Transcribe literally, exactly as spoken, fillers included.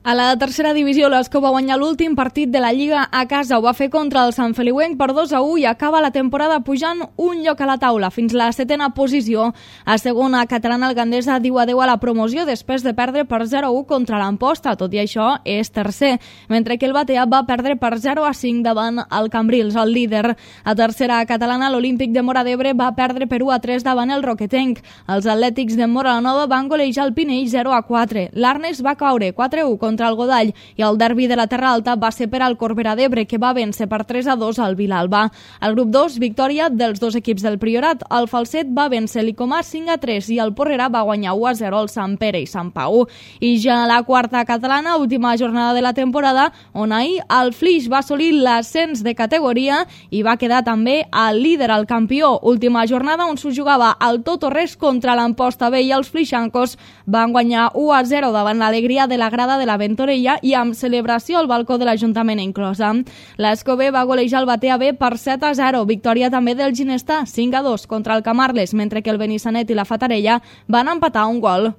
A la tercera divisió, l'Escó va guanyar l'últim partit de la Lliga a casa. Ho va fer contra el Sant Feliuenc per dos a u i acaba la temporada pujant un lloc a la taula, fins la setena posició. A segona catalana, el Gandesa diu adeu a la promoció després de perdre per zero a u contra l'Amposta. Tot i això, és tercer, mentre que el Batea va perdre per zero a cinc davant el Cambrils, el líder. A tercera catalana, l'Olímpic de Móra d'Ebre va perdre per u a tres davant el Roquetenc. Els Atlètics de Móra la Nova van golejar el Pinell zero a quatre. L'Arnes va caure quatre a u contra contra el Godall i el derbi de la Terra Alta va ser per al Corbera d'Ebre, que va vèncer per tres a dos al Vilalba. Al grup dos, victòria dels dos equips del Priorat. El Falset va vèncer l'Icomà cinc a tres i el Porrera va guanyar u a zero al Sant Pere i Sant Pau. I ja la quarta catalana, última jornada de la temporada, on ahir el Flix va assolir l'ascens de categoria i va quedar també el líder, el campió. Última jornada on s'ho jugava al tot o res contra l'Amposta B i els flixancos van guanyar u a zero davant l'alegria de la grada de la Ventorella i amb celebració al balcó de l'Ajuntament inclosa. L'Escó B va golejar el Batea B per set a zero. Victòria també del Ginestà cinc a dos contra el Camarles, mentre que el Benissanet i la Fatarella van empatar un gol.